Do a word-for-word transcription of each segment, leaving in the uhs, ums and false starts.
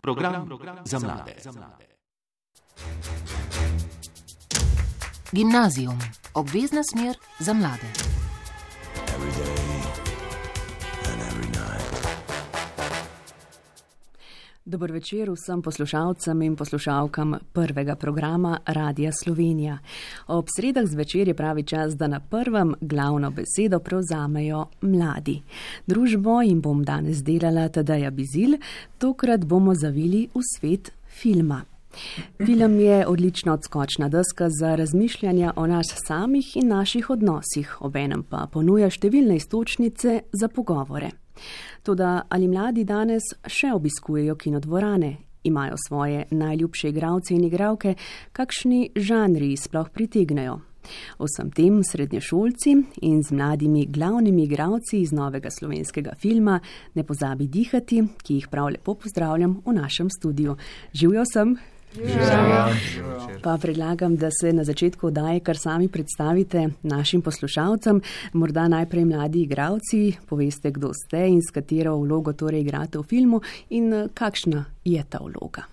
Program za mlade. Gimnazijum. Obvezna smer za mlade. Dober večer vsem poslušalcem in poslušalkam prvega programa Radia Slovenija. Ob sredah zvečer je pravi čas, da na prvem glavno besedo prevzamejo mladi. Družbo jim bom danes delala Tadeja Bizilj, tokrat bomo zavili v svet filma. Film je odlična odskočna deska za razmišljanja o nas samih in naših odnosih, obenem pa ponuja številne iztočnice za pogovore. Toda ali mladi danes še obiskujejo kinodvorane, imajo svoje najljubše igralce in igralke, kakšni žanri sploh pritegnejo? O vsem tem srednješolci in z mladimi glavnimi igralci iz novega slovenskega filma Ne pozabi dihati, ki jih prav lepo pozdravljam v našem studiu. Živjo sem! Pa predlagam, da se na začetku oddaje kar sami predstavite našim poslušalcem, morda najprej mladi igralci, poveste, kdo ste in s katero vlogo torej igrate v filmu in kakšna je ta vloga.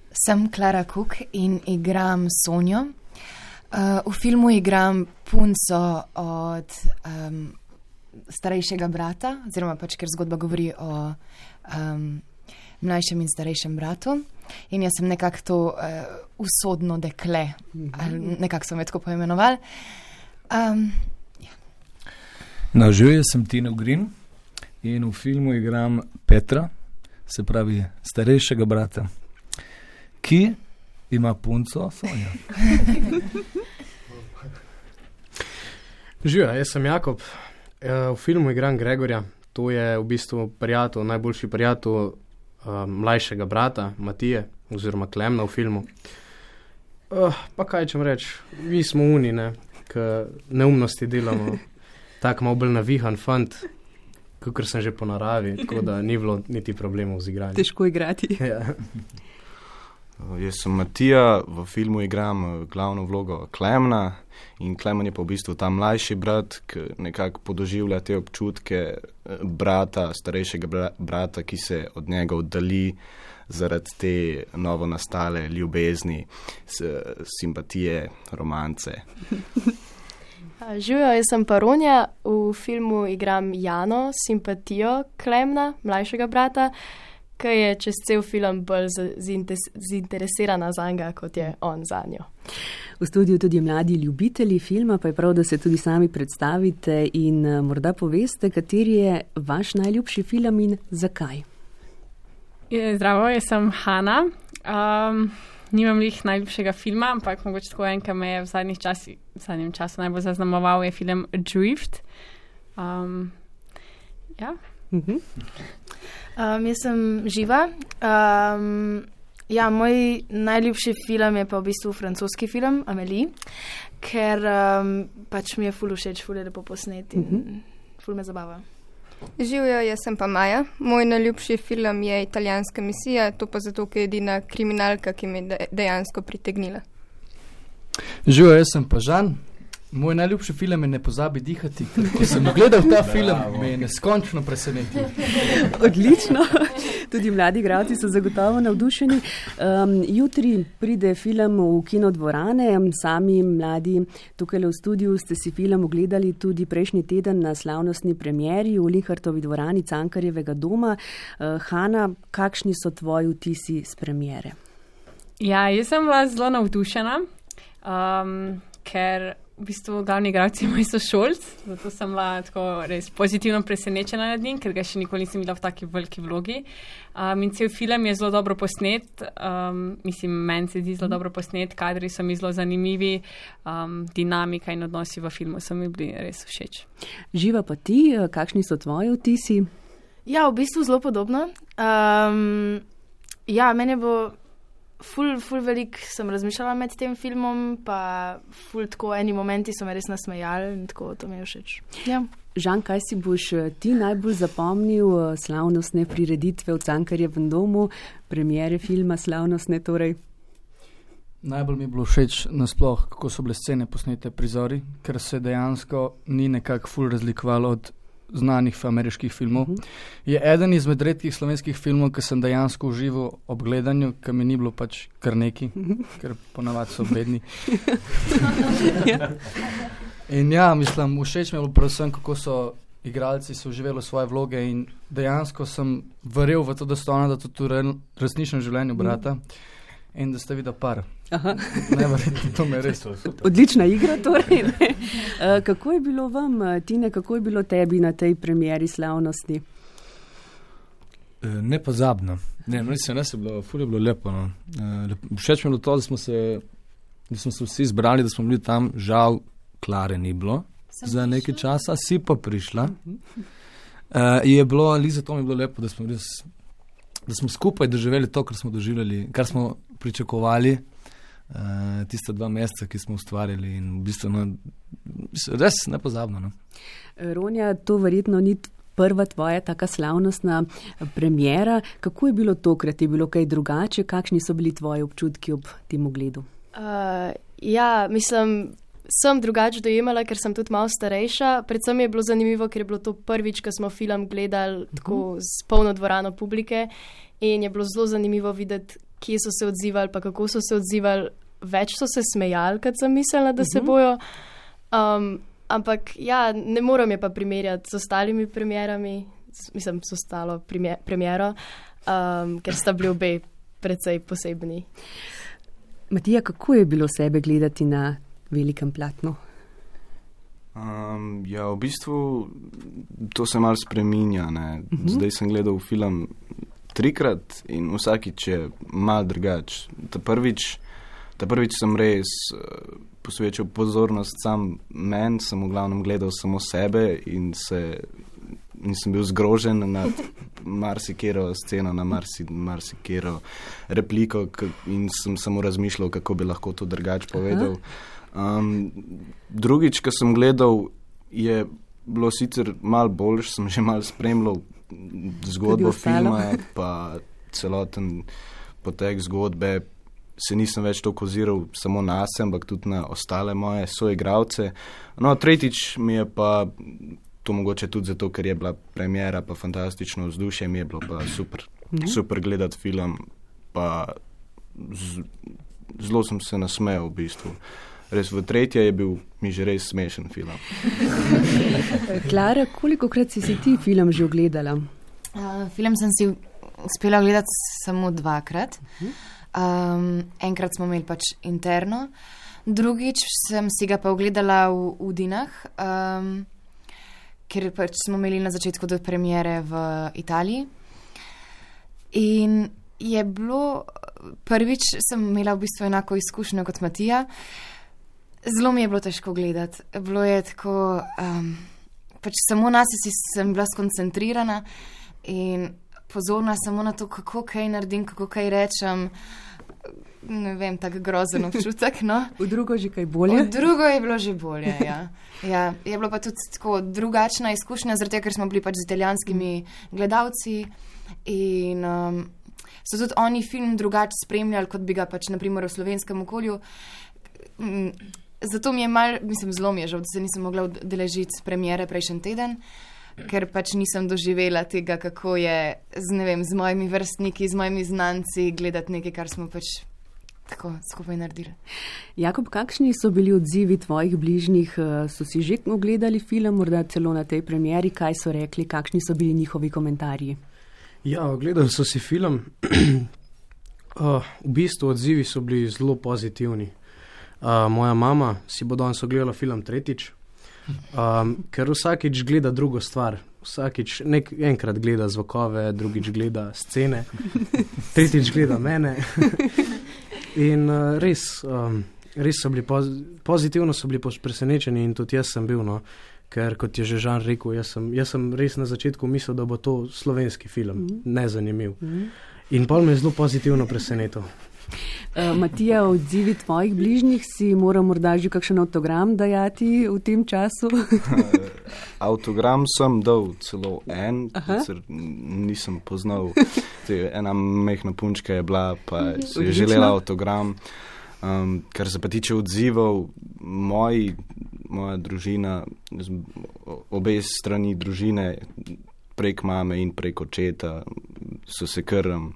Sem Klara Kuk in igram Sonjo. Uh, v filmu igram punco od um, starejšega brata, oziroma pač, ker zgodba govori o um, mlajšem in starejšem bratu. In jaz sem nekako to uh, usodno dekle, ali nekako so me tako poimenovali. Um, ja. No, živijo, sem Tino Green in v filmu igram Petra, se pravi starejšega brata, ki ima punco Sonjo. Živijo, jaz sem Jakob. V filmu igram Gregorja. To je v bistvu prijatelj, najboljši prijatelj Uh, mlajšega brata, Matije, oziroma Klemna v filmu. Uh, pa kaj čem reči, mi smo uni, ne, k neumnosti delamo, tak malo bolj navihan fant, kakor sem že po naravi, tako da ni bilo niti problemov z igranjem. Težko igrati. Ja. Jaz sem Matija, v filmu igram glavno vlogo Klemna in Klemen je pa v bistvu ta mlajši brat, ki nekako podoživlja te občutke brata, starejšega brata, ki se od njega oddali zaradi te novo nastale ljubezni, simpatije, romance. Živijo, jaz sem pa Ronja, v filmu igram Jano, simpatijo Klemna, mlajšega brata, ki je čez cel film bolj zainteresirana za njega, kot je on za njo. V studiu tudi mladi ljubitelji filma, pa je prav, da se tudi sami predstavite in morda poveste, kateri je vaš najljubši film in zakaj. Zdravo, jaz sem Hana. Um, nimam lih najljubšega filma, ampak mogoče tako en, ki me je v zadnjih časi, v zadnjem času najbolj zaznamoval, je film Drift. Um, ja. Uh-huh. Um, jaz sem Živa. Um, ja, moj najljubši film je pa v bistvu francoski film Amélie, ker um, pač mi je ful všeč, ful je lepo posnet in uh-huh. ful me zabava. Živijo, jaz sem pa Maja. Moj najljubši film je Italijanska misija, to pa zato, ker je edina kriminalka, ki me je dejansko pritegnila. Živijo, jaz sem pa Žan. Moj najljubši film je Ne pozabi dihati. Ko sem gledal ta film, me je neskončno presenetil. Odlično. Tudi mladi igralci so zagotovo navdušeni. Um, jutri pride film v kinodvorane. Sami mladi tukaj v studiu ste si film ogledali tudi prejšnji teden na slavnostni premieri v Linhartovi dvorani Cankarjevega doma. Uh, Hana, kakšni so tvoji vtisi s premiere? Ja, jaz sem bila zelo navdušena, um, ker v bistvu glavni igralci moj sošolc, zato sem bila tako res pozitivno presenečena nad njim, ker ga še nikoli nisem bila v taki veliki vlogi. Um, in cel film je zelo dobro posnet, um, mislim, meni se zdi zelo dobro posnet, kadri so mi zelo zanimivi, um, dinamika in odnosi v filmu so mi bili res všeč. Živa pa ti, kakšni so tvoji vtisi? Ja, v bistvu zelo podobno. Um, ja, meni bo Ful, ful velik sem razmišljala med tem filmom, pa ful tako eni momenti so me res nasmejali in tako to mi je všeč. Ja. Žan, kaj si boš ti najbolj zapomnil slavnostne prireditve v Cankarjevem domu, premiere filma slavnostne torej? Najbolj mi je bilo všeč nasploh, kako so bile scene posnete prizori, ker se dejansko ni nekako ful razlikovalo od znanih ameriških filmov. Uh -huh. Je eden izmed redkih slovenskih filmov, ki sem dejansko užival ob gledanju, ki mi ni bilo pač kar neki, uh -huh. ker ponavadi so bedni. In ja, mislim, všeč mi je bilo predvsem, kako so igralci so uživali svoje vloge in dejansko sem verjel v to, da sta ona, da to v resničnem življenju brata uh -huh. in da sta videla par. Aha. Ne, verjetno, to me res. Odlična igra torej. uh, kako je bilo vam, Tine, kako je bilo tebi na tej premieri slavnosti? E, nepozabno. Ne, no, mislim, ne se bilo, ful je bilo lepo. No. E, lep, všeč mi je bilo to, da smo, se, da smo se vsi zbrali, da smo bili tam, žal Klare ni bilo Sem za nekaj prišla? časa, si pa prišla. E, je bilo, Liza, to mi je bilo lepo, da smo, res, da smo skupaj doživeli to, kar smo doživeli, kar smo pričakovali. Uh, tiste dva meseca, ki smo ustvarjali in v bistvu no, res nepozabno. No. Ronja, to verjetno ni prva tvoja taka slavnostna premiera. Kako je bilo tokrat? Je bilo kaj drugače? Kakšni so bili tvoji občutki ob tem ogledu? Uh, ja, mislim, sem drugače dojemala, ker sem tudi malo starejša. Predvsem je bilo zanimivo, ker je bilo to prvič, ko smo film gledali uh-huh. tako s polno dvorano publike in je bilo zelo zanimivo videti, kje so se odzivali, pa kako so se odzivali. Več so se smejali, kad sem mislila, da se bojo. Um, ampak ja, ne moram je pa primerjati s ostalimi premierami, mislim, s ostalo premier, premiero, um, ker sta bili obe precej posebni. Matija, kako je bilo sebe gledati na velikem platnu? Um, ja, v bistvu to se malo spreminja. Ne? Uh-huh. Zdaj sem gledal film trikrat in vsakič je malo drugač. Ta prvič, ta prvič sem res uh, posvečal pozornost sam meni, sem v glavnem gledal samo sebe in se nisem bil zgrožen nad marsikero sceno, na marsi, marsikero repliko k, in sem samo razmišljal, kako bi lahko to drugače povedal. Um, drugič, ko sem gledal, je bilo sicer malo boljš, sem že malo spremljal zgodbo filma, pa celoten potek zgodbe, se nisem več toliko oziral samo na se, ampak tudi na ostale moje soigralce. No, tretjič mi je pa, to mogoče tudi zato, ker je bila premiera, pa fantastično vzdušje, mi je bilo pa super, mm-hmm. super gledati film, pa z, zelo sem se nasmejal v bistvu. Res v tretje je bil mi že res smešen film. Klara, kolikokrat si si ti film že ogledala? Uh, film sem si uspela gledati samo dvakrat. Um, enkrat smo imeli pač interno, drugič sem si ga pa ogledala v Udinah, um, ker pač smo imeli na začetku do premiere v Italiji. In je bilo, prvič sem imela v bistvu enako izkušnjo kot Matija. Zelo mi je bilo težko gledati. Bilo je tako, um, pač samo nas si sem bila skoncentrirana in pozorna samo na to, kako kaj naredim, kako kaj rečem. Ne vem, tak grozen občutek, no. V drugo že kaj bolje? V drugo je bilo že bolje, ja. Ja, je bilo pa tudi tako drugačna izkušnja, zaradi tega, ker smo bili pač z italijanskimi gledalci in um, so tudi oni film drugače spremljali, kot bi ga pač naprimer v slovenskem okolju. Um, Zato mi je mal, mislim, zelo mi je žal, da se nisem mogla udeležiti premiere prejšnji teden, ker pač nisem doživela tega, kako je z, ne vem, z mojimi vrstniki, z mojimi znanci gledati nekaj, kar smo pač tako skupaj naredili. Jakob, kakšni so bili odzivi tvojih bližnjih? So si že ogledali film, morda celo na tej premieri? Kaj so rekli? Kakšni so bili njihovi komentarji? Ja, ogledali so si film. uh, v bistvu odzivi so bili zelo pozitivni. Uh, moja mama si bo danes ogledala film tretjič, um, ker vsakič gleda drugo stvar. Vsakič nek, enkrat gleda zvokove, drugič gleda scene, tretjič gleda mene. In uh, res, um, res so bili poz, pozitivno so bili presenečeni in tudi jaz sem bil, no, ker kot je že Žan rekel, jaz sem, jaz sem res na začetku mislil, da bo to slovenski film, mm-hmm. nezanimiv. Mm-hmm. In pol me je zelo pozitivno presenetil. Uh, Matija, odzivi tvojih bližnjih, si moral morda že kakšen avtogram dajati v tem času? Avtogram sem dal celo en, ker nisem poznal. Ena mehna punčka je bila, pa si je želela avtogram. Um, kar se pa tiče odzivov, moji, moja družina z obe strani družine, prek mame in prek očeta, so se kar, um,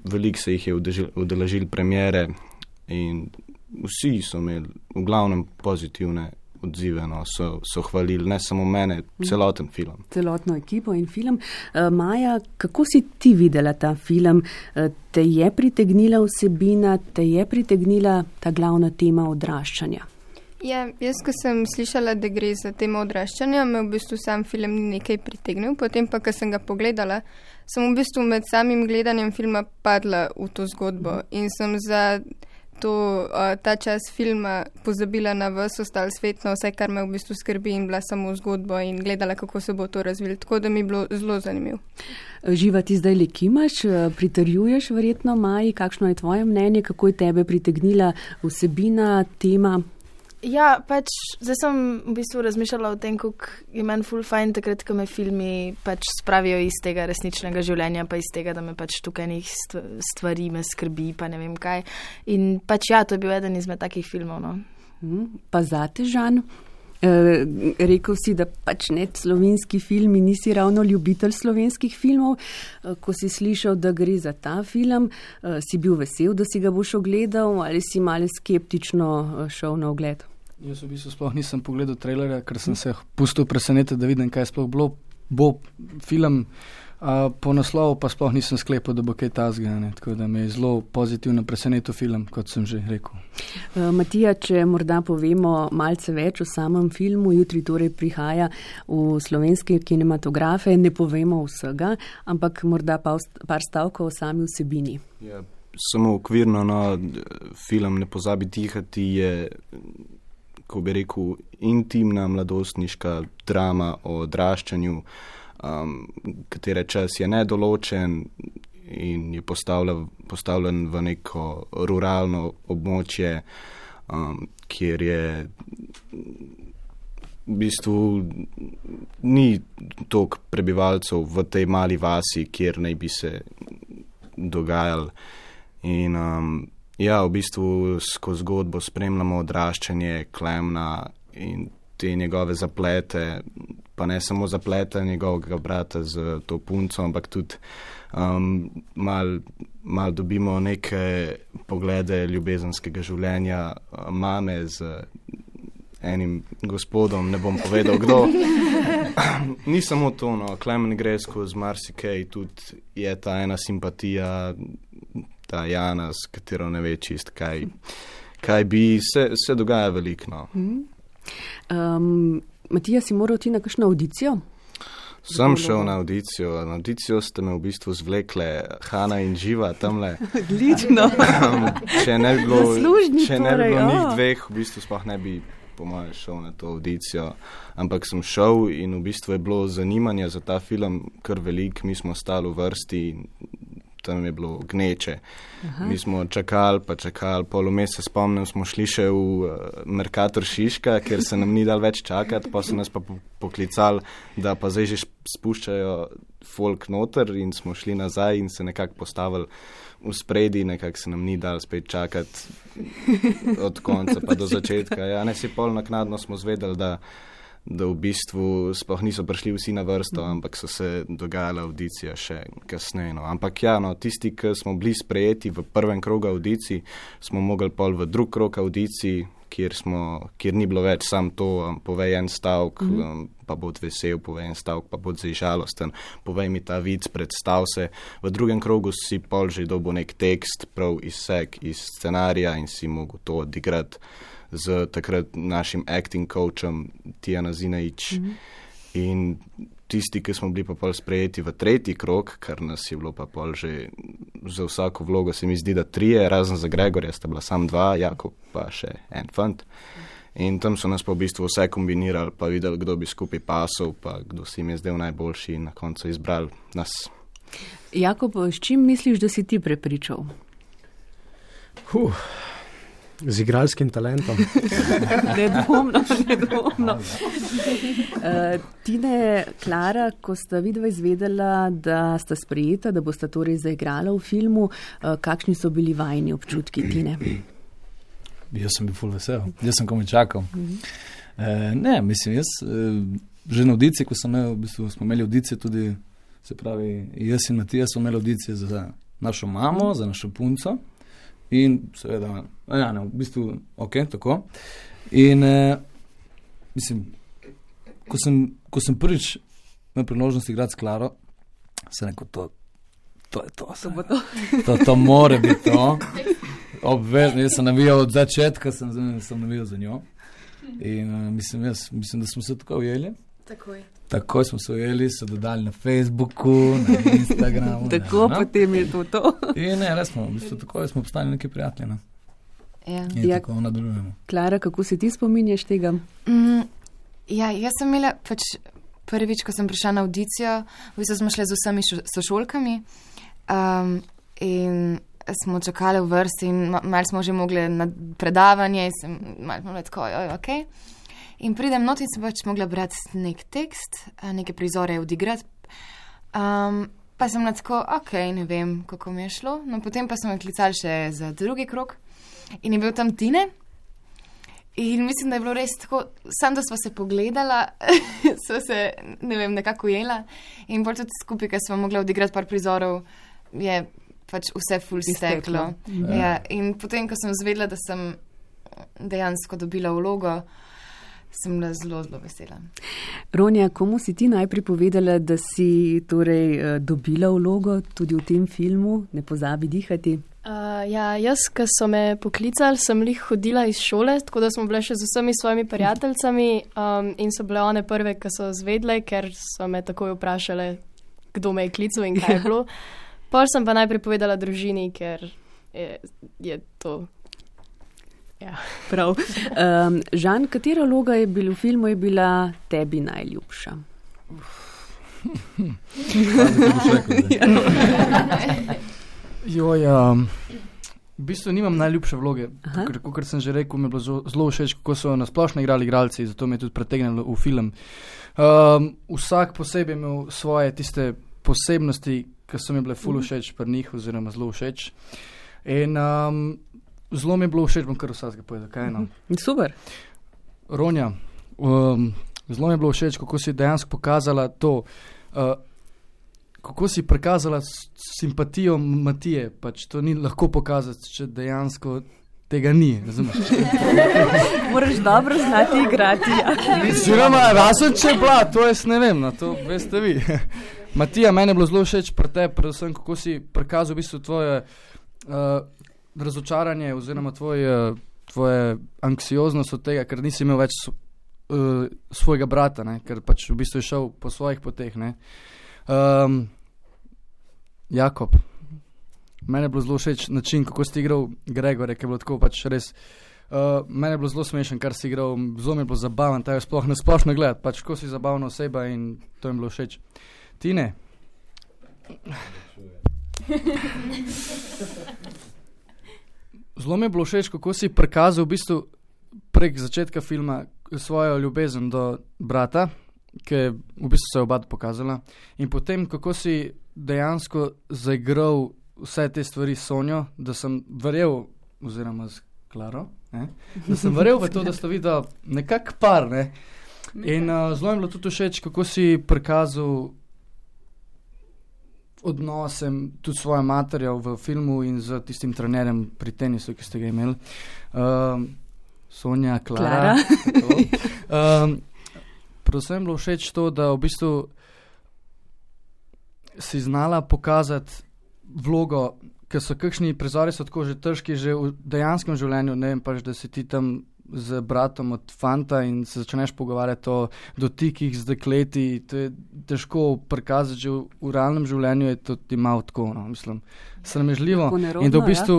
veliko se jih je udeležil premiere in vsi so imeli v glavnem pozitivne odzive, no, so, so hvalili, ne samo mene, celoten film. Celotno ekipo in film. Uh, Maja, kako si ti videla ta film? Uh, te je pritegnila vsebina, te je pritegnila ta glavna tema odraščanja? Ja, jaz, ko sem slišala, da gre za temo odraščanja, me v bistvu sam film ni nekaj pritegnil, potem pa, ko sem ga pogledala, sem v bistvu med samim gledanjem filma padla v to zgodbo in sem za to, uh, ta čas filma pozabila na ves ostal svet, na vse, kar me v bistvu skrbi in bila samo zgodbo in gledala, kako se bo to razvilo. Tako da mi je bilo zelo zanimivo. Živa, ti zdaj le kimaš, pritrjuješ verjetno Maji, kakšno je tvoje mnenje, kako je tebe pritegnila vsebina, tema? Ja, pač zdaj sem v bistvu razmišljala o tem, kako je meni ful fajn takrat, ko me filmi pač spravijo iz tega resničnega življenja, pa iz tega, da me pač tukaj nekih stvari me skrbi, pa ne vem kaj. In pač ja, to je bil eden izmed takih filmov, no. Hmm, pa zate, Žan? E, rekel si, da pač ne slovenski filmi, nisi ravno ljubitelj slovenskih filmov. E, ko si slišal, da gre za ta film, e, si bil vesel, da si ga boš ogledal ali si malo skeptično šel na ogled? Jaz v bistvu sploh nisem pogledal trailerja, ker sem se pustil presenetiti, da vidim, kaj sploh bilo. Bo film, a, po naslovu pa sploh nisem sklepal, da bo kaj tazga, ne? Tako da me je zelo pozitivno presenetil film, kot sem že rekel. Uh, Matija, če morda povemo malce več o samem filmu, jutri torej prihaja v slovenske kinematografe, ne povemo vsega, ampak morda pa par stavkov o sami vsebini. Ja, samo okvirno, no, film Ne pozabi dihati je, ko bi rekel, intimna mladostniška drama o odraščanju, um, katere čas je nedoločen in je postavljen, postavljen v neko ruralno območje, um, kjer je v bistvu ni toliko prebivalcev v tej mali vasi, kjer naj bi se dogajali. In um, ja, v bistvu skozi zgodbo spremljamo odraščanje Klemna in te njegove zaplete, pa ne samo zaplete njegovega brata z to punco, ampak tudi um, mal, mal dobimo neke poglede ljubezenskega življenja mame z enim gospodom, ne bom povedal kdo. Ni samo to, no, Klemen gre skozi marsikaj, tudi je ta ena simpatija, ta Jana, s katero ne ve čist, kaj, kaj bi se, se dogaja veliko. No. Mm. Um, Matija, si moral ti na kakšno audicijo? Sem šel na audicijo. Na audicijo ste me v bistvu zvlekle Hana in Živa tamle. Odlično. Če ne bi bilo, če ne bi torej, bilo oh. njih dveh, v bistvu sploh ne bi po mojem šel na to audicijo. Ampak sem šel in v bistvu je bilo zanimanje za ta film kar veliko. Mi smo stali v vrsti in tam je bilo gneče. Aha. Mi smo čakali, pa čakali, pol vmes se spomnim, smo šli še v uh, Mercator Šiška, ker se nam ni dal več čakati, pa so nas pa poklicali, da pa zdaj že spuščajo folk noter in smo šli nazaj in se nekako postavili v spredi, nekako se nam ni dal spet čakati od konca pa do začetka. Ja, ne si pol naknadno smo zvedeli, da da v bistvu sploh niso prišli vsi na vrsto, ampak so se dogajale audicije še kasneje. No. Ampak ja, no, tisti, ki smo bili sprejeti v prvem krogu audicij, smo mogli pol v drug krog audicij, kjer, smo, kjer ni bilo več sam to, um, povej en stavk, mm-hmm. um, pa bod vesel, povej en stavk, pa bod zdaj žalosten, povej mi ta vic, predstav se. V drugem krogu si pol že dobil nek tekst, prav izsek iz scenarija in si mogel to odigrati z takrat našim acting coachem Tijana Zinajič. Mm-hmm. In tisti, ki smo bili pa pol sprejeti v tretji krog, kar nas je bilo pa pol že za vsako vlogo, se mi zdi, da trije, razen za Gregorja sta bila sam dva, Jakob pa še en fant. In tam so nas pa v bistvu vse kombinirali, pa videli, kdo bi skupaj pasal, pa kdo si mi je zdel najboljši in na koncu izbrali nas. Jakob, s čim misliš, da si ti prepričal? Huh. Z igralskim talentom. Nedvomno, nedvomno. Uh, Tine, Klara, ko sta vidva izvedela, da sta sprejeta, da bosta torej zaigrala v filmu, uh, kakšni so bili vajni občutki, Tine? Jaz sem bil ful vesel, jaz sem komaj čakal. E, ne, mislim, jaz e, že na audiciji, ko sem imel, v bistvu smo imeli audicije tudi, se pravi, jaz in Matija smo imeli audicije za našo mamo, za našo punco in seveda, ja, ne, v bistvu, ok, tako. In e, mislim, ko sem, ko sem prvič imel priložnost igrati s Klaro, sem rekel, to, to je to. To, to. to, to more biti to. Obvezno, jaz sem navijal od začetka, sem, sem navijal za njo. In uh, mislim, jaz, mislim, da smo se tako ujeli. Takoj. Takoj smo se ujeli, se dodali na Facebooku, na Instagramu. Tako, ne, potem je to to. In ne, res smo, v bistvu tako smo postali neki prijatelji. Ne? Ja. In Ja. tako nadaljujemo. Klara, kako se ti spominjaš tega? Mm, ja, jaz sem imela pač prvič, ko sem prišla na audicijo, v bistvu smo šli z vsemi šo- sošolkami um, in smo čakali v vrsti in ma- malo smo že mogli na predavanje in sem malo smo bili tako, oj, ok. In pridem not in sem pač mogla brati nek tekst, a, neke prizore odigrati. Um, pa sem bila tako, ok, ne vem, kako mi je šlo. No, potem pa smo me klicali še za drugi krog in je bil tam Tine. In mislim, da je bilo res tako, sam da sva se pogledala, sva se, ne vem, nekako ujela in bolj tudi skupaj, ker smo mogli odigrati par prizorov, je pač vse ful steklo. Izteklo. Ja, in potem, ko sem zvedela, da sem dejansko dobila vlogo, sem bila zelo, zelo vesela. Ronja, komu si ti najprej povedala, da si torej eh, dobila vlogo tudi v tem filmu? Ne pozabi dihati. Uh, ja, jaz, ko so me poklicali, sem lih hodila iz šole, tako da smo bile še z vsemi svojimi prijateljicami um, in so bile one prve, ki so zvedle, ker so me takoj vprašale, kdo me je klical in kaj je bilo. Pol sem pa najprej povedala družini, ker je, je to. Ja. Prav. Um, Žan, katera vloga je bila v filmu je bila tebi najljubša? Joj, um, v bistvu nimam najljubše vloge, ker, kot sem že rekel, mi je bilo zelo, zelo všeč, kako so nasplošno igrali igralci, zato me je tudi pritegnilo v film. Um, vsak posebej je imel svoje tiste posebnosti, ki so mi bile ful všeč pri njih, oziroma zelo všeč. In um, zelo mi je bilo všeč, bom kar vsakega povedal, kaj no. Super. Ronja, um, zelo mi je bilo všeč, kako si dejansko pokazala to, uh, kako si prikazala s- simpatijo Matije, pač to ni lahko pokazati, če dejansko tega ni, razumeš? Moraš dobro znati igrati. Ja. Oziroma, razen če je bila, to jaz ne vem, na to veste vi. Matija, meni je bilo zelo všeč pri tebi, predvsem kako si prikazal v bistvu tvoje uh, razočaranje oziroma tvoje, tvoje anksioznost od tega, ker nisi imel več s- uh, svojega brata, ne? Ker pač v bistvu je šel po svojih poteh. Ne? Um, Jakob, meni je bilo zelo všeč način, kako si igral Gregorja, ki je bilo tako pač res. Uh, meni je bilo zelo smešen, kar si igral, zelo mi je bilo zabaven, ta je sploh na splošno gledati, pač ko si zabavna oseba in to mi je bilo všeč. Tine? Zelo mi je bilo všeč, kako si prikazal v bistvu prek začetka filma svojo ljubezen do brata, ki je v bistvu se je oba pokazala. In potem, kako si dejansko zaigral vse te stvari s Sonjo, da sem verjel, oziroma z Klaro, ne? Da sem verjel v to, da sta videla nekak par. Ne? In uh, zelo mi je bilo tudi všeč, kako si prikazal odnosem tudi svojo materjo v filmu in z tistim trenerjem pri tenisu, ki ste ga imeli. Um, Sonja, Klara. Klara. um, predvsem bilo všeč to, da v bistvu si znala pokazati vlogo, ker so kakšni prizori so tako že težki že v dejanskem življenju, ne vem pač, da si ti tam z bratom od fanta in se začneš pogovarjati o dotikih z dekleti, to je težko prikazati, že v, v realnem življenju je to ti malo tako, no, mislim, sramežljivo. Tako nerodno, In da v ja. bistvu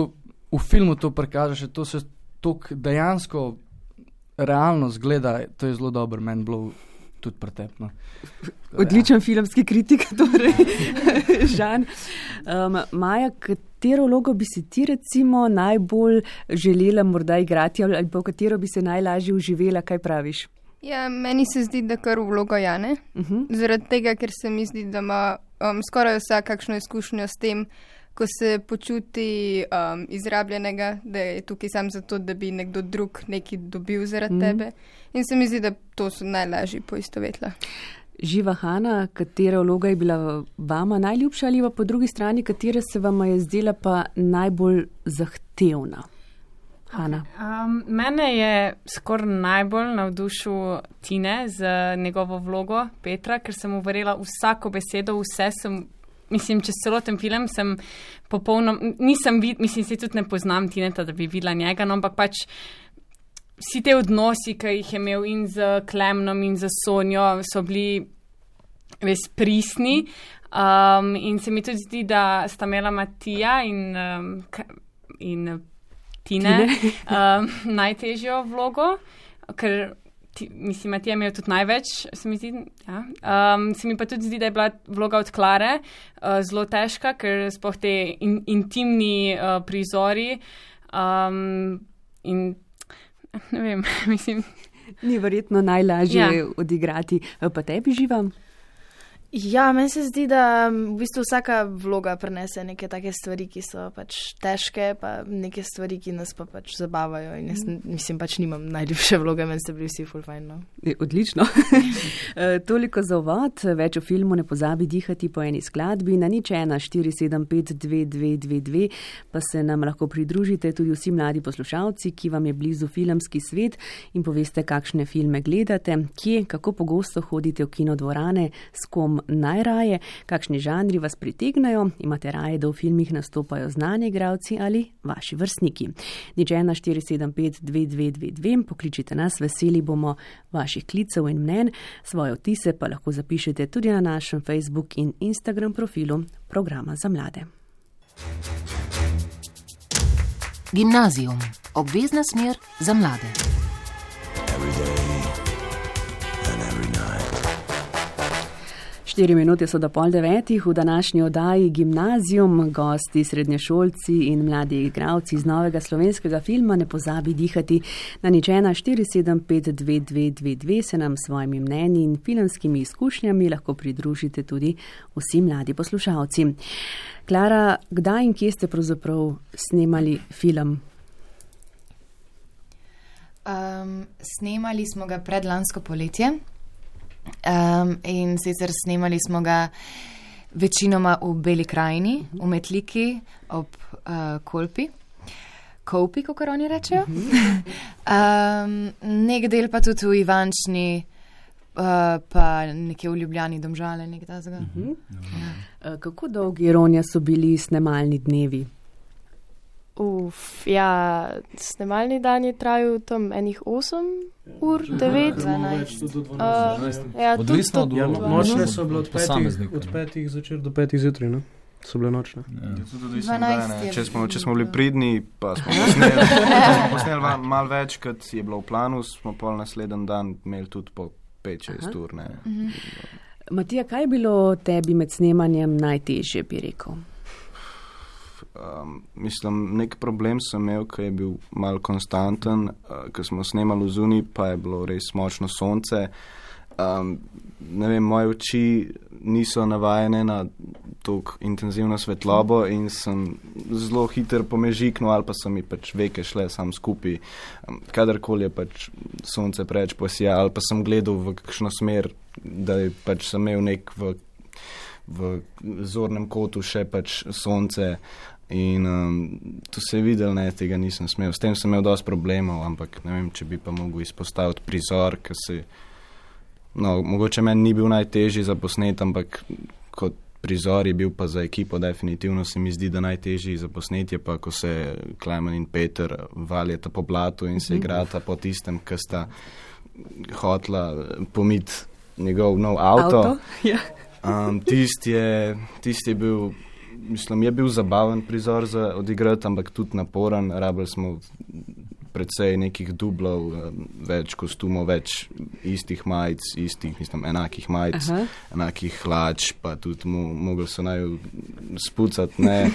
v filmu to prikažeš, to se toliko dejansko realno zgleda, to je zelo dobro, meni bilo tudi pretepno. Odličen filmski kritik, torej, Žan. Um, Maja, katero vlogo bi si ti recimo najbolj želela morda igrati ali pa v katero bi se najlažje uživela, kaj praviš? Ja, meni se zdi, da kar vlogo Jane. Uh-huh. Zaradi tega, ker se mi zdi, da ima um, skoraj vsak kakšno izkušnjo s tem, ko se počuti um, izrabljenega, da je tukaj sam zato, da bi nekdo drug nekaj dobil zaradi mm. tebe. In se mi zdi, da to so najlažji poistovetla. Živa Hana, katera vloga je bila vama najljubša ali pa po drugi strani, katera se vama je zdela pa najbolj zahtevna? Hana. Um, mene je skoraj najbolj navdušil Tine z njegovo vlogo Petra, ker sem mu verjela vsako besedo, vse sem, mislim, čez celoten film sem popolno, nisem vid, mislim, se tudi ne poznam Tineta, da bi videla njega, no, ampak pač vsi te odnosi, ki jih je imel in z Klemnom in z Sonjo, so bili res pristni. Um, in se mi tudi zdi, da sta imela Matija in, um, in Tine, Tine. um, najtežjo vlogo, ker ti, mislim, Matija je imel tudi največ, se mi zdi. Ja. Um, se mi pa tudi zdi, da je bila vloga od Klare uh, zelo težka, ker sploh te in, intimni uh, prizori um, in ne vem, mislim. Ni verjetno najlažje Ja. odigrati. Pa tebi, Živa? Ja, meni se zdi, da v bistvu vsaka vloga prenese neke take stvari, ki so pač težke, pa neke stvari, ki nas pa pač zabavajo. In jaz mislim, pač nimam najljubše vloge, meni ste bili vsi ful fajn. No. Je, odlično. Toliko za uvod. Več o filmu Ne pozabi dihati po eni skladbi. Na nič ena štiri sedem pet dve dve dve dve pa se nam lahko pridružite tudi vsi mladi poslušalci, ki vam je blizu filmski svet in poveste, kakšne filme gledate, kje, kako pogosto hodite v kinodvorane, s kom najraje, kakšni žanri vas pritegnajo, imate raje, da v filmih nastopajo znani igralci ali vaši vrstniki. Nič ena štiri sedem pet dve dve dve dve, pokličite nas, veseli bomo vaših klicev in mnen, svoje vtise pa lahko zapišete tudi na našem Facebook in Instagram profilu Programa za mlade. Gimnazijum. Obvezna smer za mlade. Štiri minute so do pol devetih, v današnji oddaji Gimnazijum, gosti, srednješolci in mladi igralci iz novega slovenskega filma Ne pozabi dihati. Na nič ena štiri sedem pet dve dve dve dve se nam s svojimi mnenji in filmskimi izkušnjami lahko pridružite tudi vsi mladi poslušalci. Klara, kdaj in kje ste pravzaprav snemali film? Um, snemali smo ga predlansko poletje. Um, in sicer snemali smo ga večinoma v Beli krajini, v Metliki, ob uh, Kolpi, Kopi, kako oni rečejo. Um, nek del pa tudi v Ivančni, uh, pa nekje v Ljubljani, Domžale, nek tazga. Uh-huh. Ja. Kako dolgi, Ronja, so bili snemalni dnevi? Uf, ja, snemalni dan je trajal tam enih osem ur, devet, dvanajst. Ja, odvisno od Ja, vloge. nočne so bile od petih, Posameznika. od petih zvečer do petih zjutraj, ne? So bile nočne. Ja. Tudi odvisno, dvanajst kdaj, ne. je Če smo, če bilo. smo bili pridni, pa smo posneli, če smo posneli va- malo več, kot je bilo v planu, smo pol naslednji dan imeli tudi po pet šest ur. Ne. Matija, kaj je bilo tebi med snemanjem najtežje, bi rekel? Um, mislim, nek problem sem imel, ki je bil malo konstanten, uh, ko smo snemali v zunaj, pa je bilo res močno sonce. Um, ne vem, moje oči niso navajene na tako intenzivno svetlobo in sem zelo hiter pomežiknil ali pa so mi pač veke šle sam skupaj. Um, kadarkoli je pač sonce preveč posija ali pa sem gledal v kakšno smer, da je pač sem imel nek v, v zornem kotu še pač sonce. In um, to se je videl, ne, tega nisem smel. S tem sem imel dosti problemov, ampak ne vem, če bi pa mogel izpostaviti prizor, ki se, no, mogoče meni ni bil najtežji za posnet, ampak kot prizor je bil pa za ekipo definitivno se mi zdi, da najtežji za posnetje pa, ko se Klemen in Peter valjata po blatu in se igrata po tistem, ki sta hotla pomiti njegov nov avto. Avto? Ja. Um, tisti je, tist je bil, mislim, je bil zabaven prizor za odigrati, ampak tudi naporen. Rabili smo precej nekih dublov, več kostumov, več istih majic, istih, mislim, enakih majic, Aha. enakih hlač, pa tudi mo mogli so naj spucati, ne,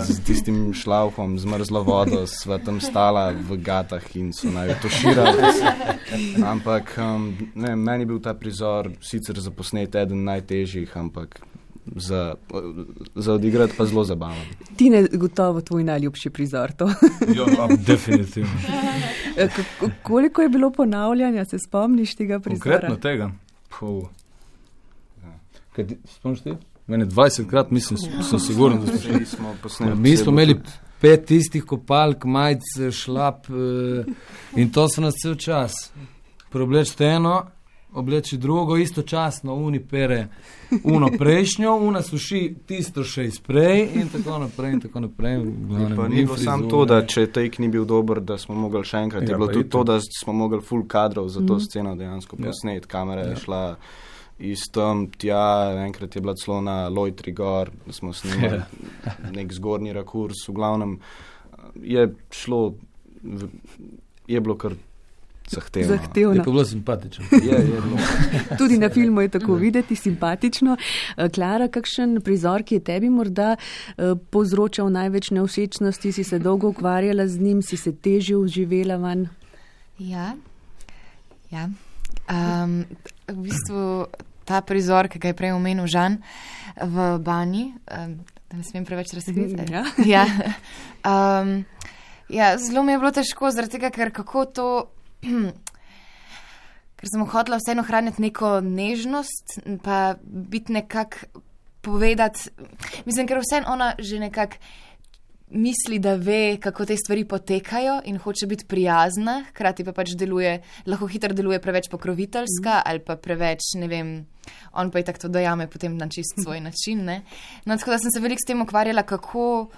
z tistim šlaufom, zmrzlo vodo, sva tam stala v gatah in so naj toširali. Ampak, um, ne, meni je bil ta prizor sicer za posnet eden najtežjih, ampak za, za odigrati pa zelo zabaven. Ti ne gotovo tvoj najljubši prizor to. Jo, definitivno. Koliko je bilo ponavljanja, se spomniš tega prizora? Konkretno tega? Puh. Kaj ti, spomniš ti? Mene dvajsetkrat, mislim, sem siguren, da smo, smo posneli. Mi smo imeli pet tistih kopalk, majic, šlap in to so nas cel čas. Preobleči eno, obleči drugo, istočasno, uni pere uno prejšnjo, una suši tisto še izprej in tako naprej in tako naprej. Glavnem, pa ni bilo samo to, da če take ni bil dober, da smo mogli še enkrat, ja, je bilo tudi to, da smo mogli full kadrov za to mm. sceno dejansko posneti, kamera je ja. šla iz tam tja, enkrat je bila celo na Lojtri gor, smo snimali ja. nek zgornji rakurs, v glavnem je šlo, je bilo kar zahtevno. zahtevno. Je pa bilo simpatično. je, je bilo. Tudi na filmu je tako videti, simpatično. Klara, kakšen prizor, ki je tebi morda uh, povzročal največ nevšečnosti, si se dolgo ukvarjala z njim, si se težje uživela van? Ja, ja. Um, v bistvu ta prizor, ki ga je prej omenil Žan v banji, um, da ne smem preveč razkriti. Ja. ja. Um, ja, zelo mi je bilo težko, zaradi tega, ker kako to, ker sem hotela vseeno hraniti neko nežnost, pa biti nekak povedati, mislim, ker vseeno ona že nekak misli, da ve, kako te stvari potekajo in hoče biti prijazna, hkrati pa pač deluje, lahko hitro deluje preveč pokroviteljska mm. ali pa preveč, ne vem, on pa je tako to dojame potem na čist svoj način, ne. No, tako da sem se veliko s tem ukvarjala, kako,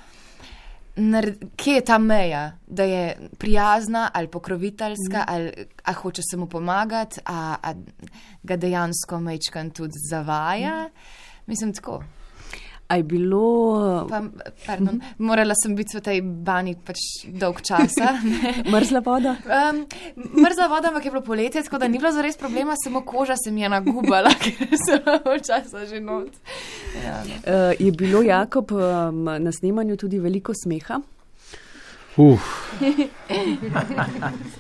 nared, kje je ta meja, da je prijazna ali pokroviteljska, mm. ali a hoče se mu pomagati, a, a ga dejansko mečkan tudi zavaja. Mm. Mislim, tako. A je bilo... Pa, pardon, morala sem biti v tej bani pač dolg časa. Mrzla voda? Um, mrzla voda, ampak je bilo poletje, tako da ni bilo zares problema, samo koža se mi je nagubala, ker sem bila časa že not. Ja, uh, je bilo, Jakob, um, na snemanju tudi veliko smeha? Uf.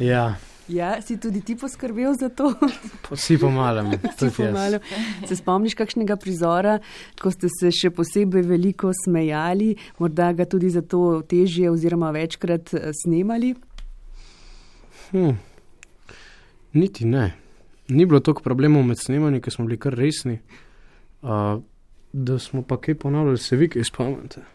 ja. Ja, si tudi ti poskrbel za to? Vsi pomalem. pomalem. Se spomniš kakšnega prizora, ko ste se še posebej veliko smejali, morda ga tudi zato težje oziroma večkrat snemali? Hm. Niti ne. Ni bilo toliko problemov med snemanji, ker smo bili kar resni. Uh, da smo pa kaj ponavljali, se vi kaj spomnite?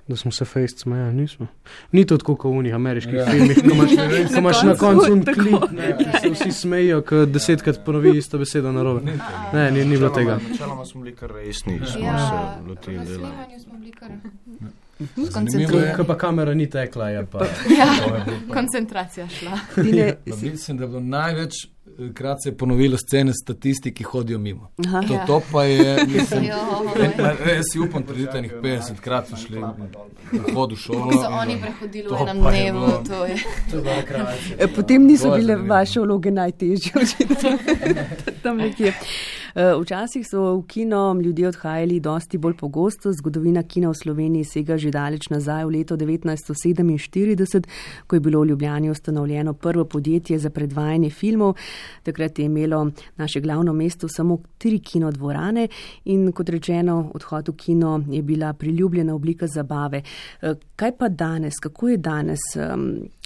Da smo se fejst smejali, nismo. Ni to tako kot v unih ameriških ja. filmih, ko imaš, ko imaš na koncu un klip, ne, ki se vsi smejijo, ko desetkrat ponovi isto besedo narobe. Ne, ni, ni bilo tega. Načeloma smo bili kar resni, smo ja. se lotili dela. Na snemanju smo bili kar skoncentrirani. Ko pa kamera ni tekla, je pa... ja, koncentracija šla. Mislim, da je bilo največ krat se je ponovilo scene statisti, ki hodijo mimo. Aha, to, ja. to pa je, mislim, res si upam preditenih petdeset krat so šli na hodu šolo. So oni prehodili v enem dnevu, to je. To je bila kreacija. Potem niso bile vaše vloge najtežje, očitno. Tam nekje. Včasih so v kino ljudje odhajali dosti bolj pogosto. Zgodovina kina v Sloveniji sega že daleč nazaj v leto devetnajststo sedeminštirideset, ko je bilo v Ljubljani ustanovljeno prvo podjetje za predvajanje filmov. Takrat je imelo naše glavno mesto samo tri kinodvorane in kot rečeno, odhod v kino je bila priljubljena oblika zabave. Kaj pa danes? Kako je danes?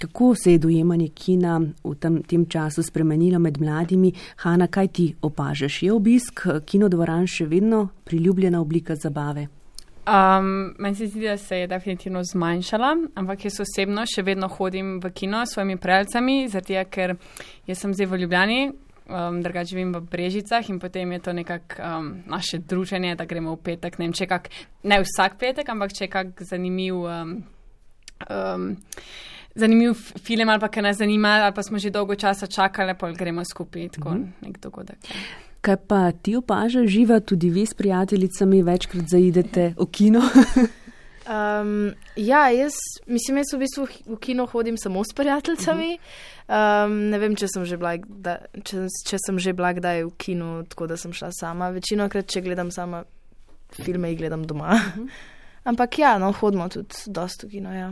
Kako se je dojemanje kina v tem, tem času spremenilo med mladimi? Hana, kaj ti opažaš? Je obisk kinodvoran še vedno priljubljena oblika zabave? Um, meni se zdi, da se je definitivno zmanjšala, ampak jaz osebno še vedno hodim v kino s svojimi prijateljicami, zato ker jaz sem zdaj v Ljubljani, um, drugače živim v Brežicah in potem je to nekako um, naše druženje, da gremo v petek, ne vem, če kak, ne vsak petek, ampak če kak zanimiv, um, um, zanimiv film ali pa kaj nas zanima, ali pa smo že dolgo časa čakali, pa gremo skupaj, tako mm-hmm. nek dogodek. Kaj pa ti opažaš, Živa, tudi vi s prijateljicami večkrat zaidete v kino? um, ja, jaz mislim, jaz v bistvu v kino hodim samo s prijateljicami. Um, ne vem, če sem že bila, da, če, če sem že bila kdaj v kino, tako da sem šla sama. Večinokrat, če gledam sama filme, jih gledam doma. Ampak ja, no, hodimo tudi dosti v kino, ja.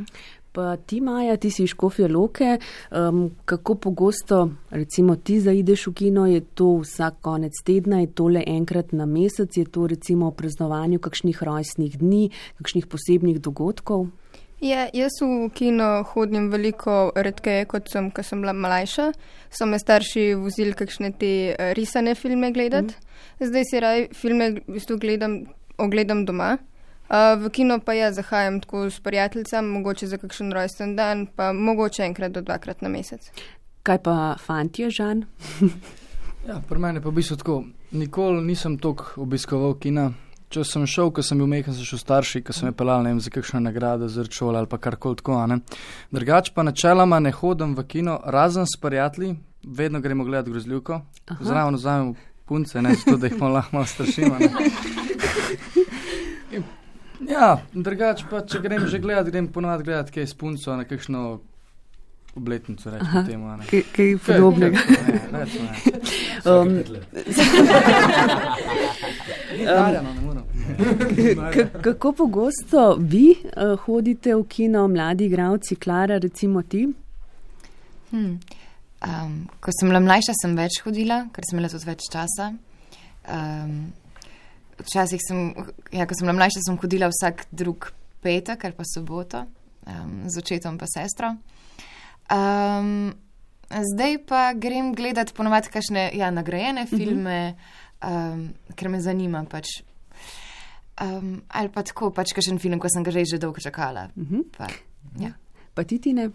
Pa ti, Maja, ti si iz Škofje Loke, um, kako pogosto recimo ti zaideš v kino, je to vsak konec tedna, je to le enkrat na mesec, je to recimo o praznovanju kakšnih rojstnih dni, kakšnih posebnih dogodkov? Ja, jaz v kino hodim veliko redkeje, kot sem, ko sem bila mlajša. So me starši vozili kakšne te risane filme gledati. Mm. Zdaj si raj filme v bistvu gledam, ogledam doma. Uh, v kino pa ja zahajam tako s prijateljicami, mogoče za kakšen rojsten dan, pa mogoče enkrat do dvakrat na mesec. Kaj pa fantje, Žan? Ja, pri meni pa v bistvu tako, nikoli nisem toliko obiskoval kina. Če sem šel, ko sem bil mehen, sem šel starši, ko sem je pelal, ne vem, za kakšno nagrado, za šolo ali pa karkoli tako, ne. Drugač pa načeloma ne hodim v kino, razen s prijatelji, vedno gremo gledati grozljivko, zraven vzamem punce, ne, zato da jih malo, malo strašimo, ne. Ja, drugač pa, če grem že gledati, grem ponovati gledati kaj s punco na kakšno obletnico, rečemo temu. Kaj, kaj podobnega. Ne, rečemo, ne. Um, um, kako pogosto vi uh, hodite v kino, mladi igralci, Klara, recimo ti? Hmm. Um, ko sem bila mlajša, sem več hodila, ker sem imela tudi več časa. Um, Včasih sem, ja, ko sem bila mlajša, sem hodila vsak drug petek ali pa soboto, um, z očetom pa sestro. Um, zdaj pa grem gledati ponovadi kakšne, ja, nagrajene filme, um, ker me zanima pač. Um, ali pa tako, pač kakšen film, ko sem ga že dolgo čakala. Pa, ja. Pa ti, Tine?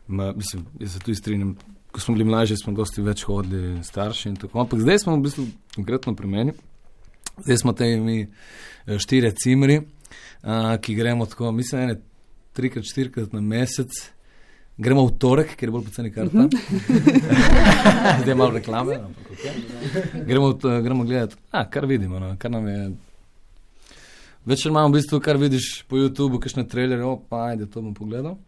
Ma, mislim, jaz se tudi strinjam. Ko smo bili mlajši, smo dosti več hodili starši in tako. Ampak zdaj smo v bistvu konkretno pri meni. Zdaj smo te mi štiri cimri, a, ki gremo tako, mislim, ene trikrat, štirikrat na mesec. Gremo v torek, ker je bolj poceni karta. Zdaj je malo reklame. Ampak, okay. gremo, gremo gledati, a, kar vidimo, no, kar nam je... Večer imamo v bistvu, kar vidiš po YouTubeu, kakšne trailerje, opa, ajde, to bom pogledal.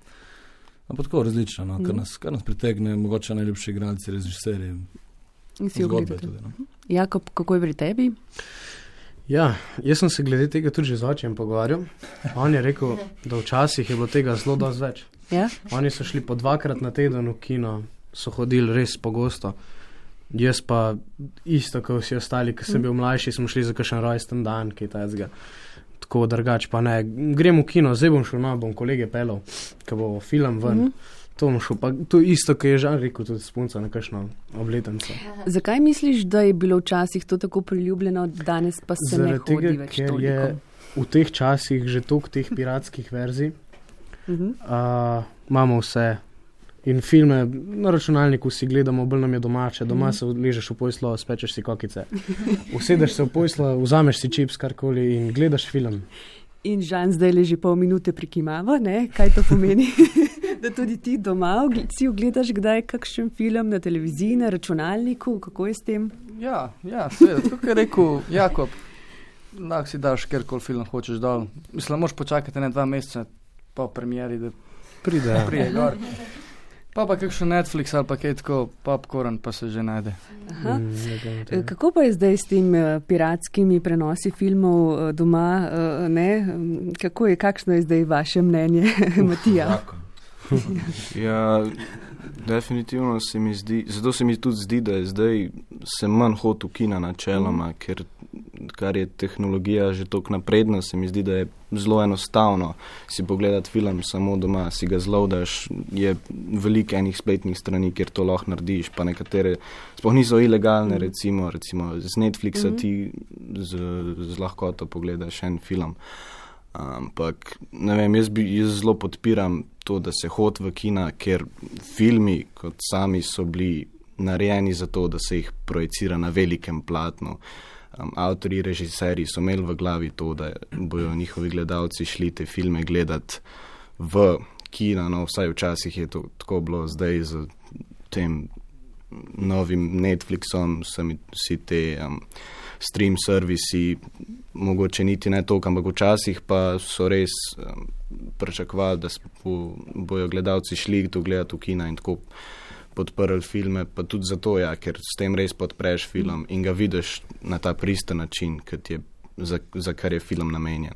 Ampak tako različno, no, kar nas, kar nas pritegne, mogoče najljubši igralci, režiserji. In si ogledate. Tudi, no. Jakob, kako je pri tebi? Ja, jaz sem se glede tega tudi že z očem pogovarjal. On je rekel, da včasih je bilo tega zelo dosti več. Ja? Oni so šli po dvakrat na teden v kino, so hodili res pogosto. Jaz pa isto, kot vsi ostali, ko sem bil mlajši, smo šli za kakšen rojsten dan, kaj tajzga. Tako drugač pa ne. Grem v kino, zdaj bom šel, no, bom kolege pelal, ko bo film ven. Mm-hmm. To bom šel, pa to isto, ko je Žan rekel, tudi s punco na kakšno obletnico. Zakaj misliš, da je bilo včasih to tako priljubljeno, danes pa se Zaradi ne hodi tega, več toliko? Ker je v teh časih že toliko teh piratskih verzij, uh-huh. uh, imamo vse. In filme na računalniku si gledamo, bolj nam je domače, doma se ležeš v poslo, spečeš si kokice. Usedeš se v poslo, vzameš si čips, karkoli in gledaš film. In Žan zdaj leži pol minute prikimava, ne? Kaj to pomeni? Da tudi ti doma si ogledaš kdaj kakšen film na televiziji, na računalniku, kako je s tem? Ja, ja, seveda, tako je rekel Jakob, lahko si daš kjerkoli film hočeš dol. Mislim, moraš počakati ne dva meseca po premieri, da pride, prije gor. Pa pa kakšen Netflix ali pa kaj tako, popcorn pa se že najde. Aha. Mm, kako pa je zdaj s tem piratskimi prenosi filmov doma, ne? Kako je, kakšno je zdaj vaše mnenje, Matija? Ja, definitivno se mi zdi, zato se mi tudi zdi, da je zdaj se manj hod v kina načeloma, mm. ker kar je tehnologija že toliko napredna, se mi zdi, da je zelo enostavno si pogledati film samo doma, si ga zloadaš, je veliko enih spletnih strani, kjer to lahko narediš, pa nekatere sploh niso ilegalne, mm. recimo, recimo z Netflixa mm. ti z, z lahkoto pogledaš en film. Ampak, ne vem, jaz, bi, jaz zelo podpiram to, da se hod v kina, ker filmi kot sami so bili narejeni za to, da se jih projicira na velikem platnu. Um, avtori, režiserji so imeli v glavi to, da bojo njihovi gledalci šli te filme gledati v kina, no vsaj včasih je to tako bilo, zdaj z tem novim Netflixom, vsi te um, stream servisi, mogoče niti ne toliko, ampak včasih pa so res um, pričakovali, da bo, bojo gledalci šli to gledati v kina in tako podprli filme, pa tudi zato, ja, ker s tem res podpreš film in ga vidiš na ta pristen način, kot je za, za kar je film namenjen.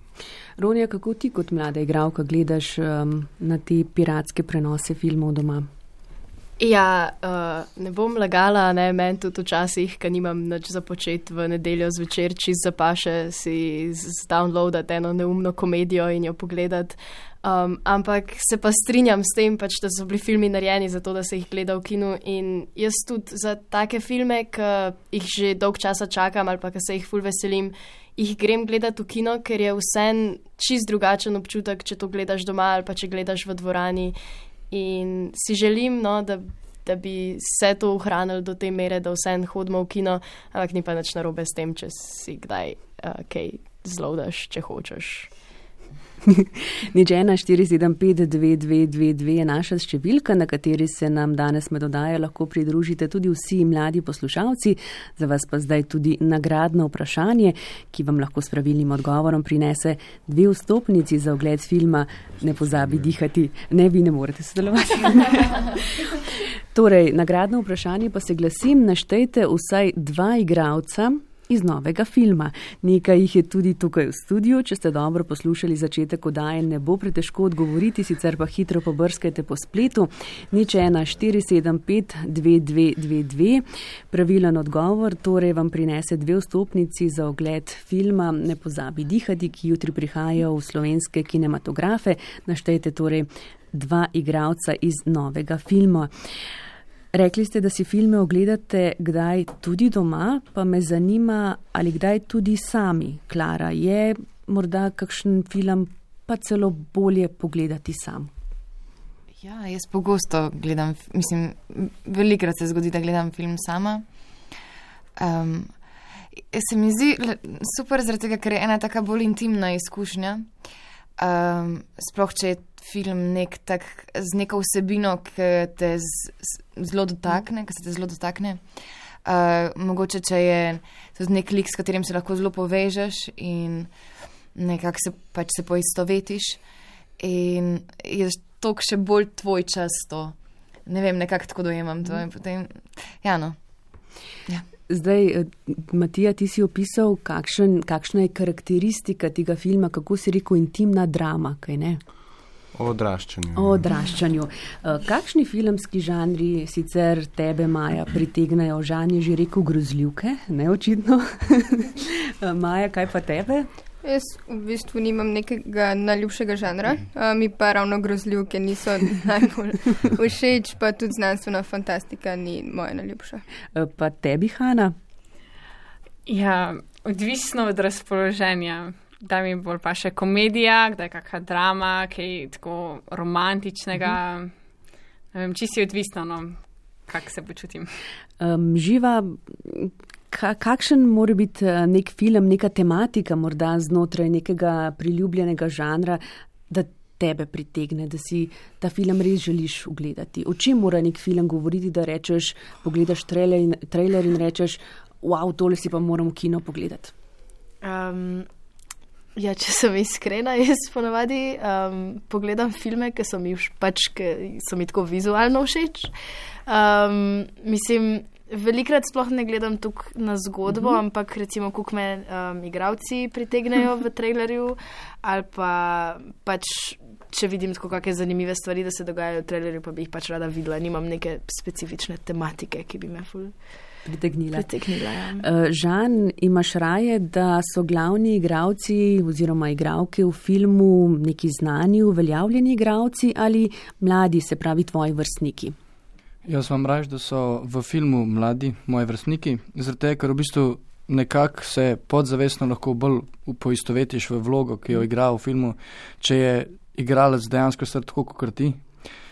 Ronja, kako ti kot mlada igralka gledaš um, na te piratske prenose filmov doma? Ja, uh, ne bom lagala, ne, meni tudi včasih, ker nimam nič za početi v nedeljo zvečer, čist zapaše si zdownloadati eno neumno komedijo in jo pogledati. Um, ampak se pa strinjam s tem, pač, da so bili filmi narejeni za to, da se jih gleda v kinu in jaz tudi za take filme, ki jih že dolg časa čakam ali pa ki se jih ful veselim, jih grem gledati v kino, ker je vsem čist drugačen občutek, če to gledaš doma ali pa če gledaš v dvorani. In si želim, no, da, da bi se to ohranilo do te mere, da vsem hodimo v kino, ampak ni pa nič narobe s tem, če si kdaj uh, kaj zloadaš, če hočeš. Nič ena štiri sedem pet dve dve dve dve je naša številka, na kateri se nam danes med oddajo lahko pridružite tudi vsi mladi poslušalci. Za vas pa zdaj tudi nagradno vprašanje, ki vam lahko s pravilnim odgovorom prinese dve vstopnici za ogled filma Ne pozabi dihati. Ne, vi ne morete sodelovati. Torej, nagradno vprašanje pa se glasim, naštejte vsaj dva igralca iz novega filma. Nekaj jih je tudi tukaj v studiu. Če ste dobro poslušali začetek oddaje, ne bo pretežko odgovoriti, sicer pa hitro pobrskajte po spletu. Nič ena štiri sedem pet dve dve dve dve. Pravilen odgovor torej vam prinese dve vstopnici za ogled filma Ne pozabi dihati, ki jutri prihajajo v slovenske kinematografe. Naštejte torej dva igralca iz novega filma. Rekli ste, da si filme ogledate kdaj tudi doma, pa me zanima, ali kdaj tudi sami. Klara, je morda kakšen film pa celo bolje pogledati sam? Ja, jaz pogosto gledam, mislim, velikrat se zgodi, da gledam film sama. Um, se mi zdi super zaradi tega, ker je ena taka bolj intimna izkušnja. Um, sploh, če je film nek tak, z neko vsebino, ki te z, z, zelo dotakne, ki se te zelo dotakne. Uh, mogoče, če je tudi nek lik, s katerim se lahko zelo povežeš in nekako se pač se poistovetiš in je toliko še bolj tvoj čas to. Ne vem, nekako tako dojemam to in potem, ja no. Ja. Zdaj, Matija, ti si opisal, kakšen, kakšna je karakteristika tega filma, kako si rekel, intimna drama, kaj ne? O odraščanju. O odraščanju. Kakšni filmski žanri sicer tebe, Maja, pritegnajo? Žan je že rekel grozljivke, ne očitno. Maja, kaj pa tebe? Jaz v bistvu nimam nekega najljubšega žanra, uh, mi pa ravno grozljivke niso najbolj všeč, pa tudi znanstvena fantastika ni moja najljubša. Pa tebi, Hana? Ja, odvisno od razpoloženja. Da mi bolj pa še komedija, kdaj kakšna drama, kaj tako romantičnega. Ne vem, čisto je odvisno, no, kak se počutim. Um, živa, ka, kakšen mora biti nek film, neka tematika morda znotraj nekega priljubljenega žanra, da tebe pritegne, da si ta film res želiš ugledati? O čem mora nek film govoriti, da rečeš, pogledaš trailer in, trailer in rečeš, wow, tole si pa moram v kino pogledati? Um, Ja, če sem iskrena, jaz ponavadi um, pogledam filme, ki so mi, pač, ki so mi tako vizualno všeč. Um, mislim, velikrat sploh ne gledam tukaj na zgodbo, mm-hmm. ampak recimo, koliko me um, igravci pritegnejo v trailerju, ali pa pač, če vidim tako kakšne zanimive stvari, da se dogajajo v trailerju, pa bi jih pač rada videla. Nimam neke specifične tematike, ki bi me ful pritegnila. pritegnila ja. uh, Žan, imaš raje, da so glavni igravci oziroma igravke v filmu neki znani, uveljavljeni igravci ali mladi, se pravi tvoji vrstniki? Jaz vam raje, da so v filmu mladi moji vrstniki, zaradi tega, ker v bistvu nekako se podzavestno lahko bolj poistovetiš v vlogo, ki jo igra v filmu, če je igralec dejansko star tako kot ti,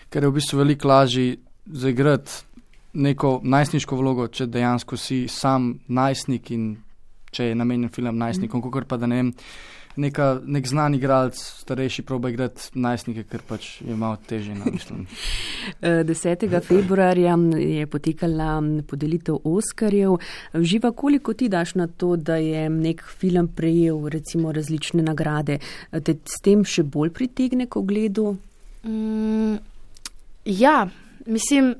ker je v bistvu veliko lažje zaigrati neko najstniško vlogo, če dejansko si sam najstnik in če je namenjen film najstnikom, mm. kakor pa da ne vem, neka, nek znan igralec starejši proba igrati najstnike, ker pač je malo težje, no, mislim. desetega februarja je potekala podelitev Oskarjev. Živa, koliko ti daš na to, da je nek film prejel recimo različne nagrade? Te s tem še bolj pritegne k ogledu? Mm, ja, mislim,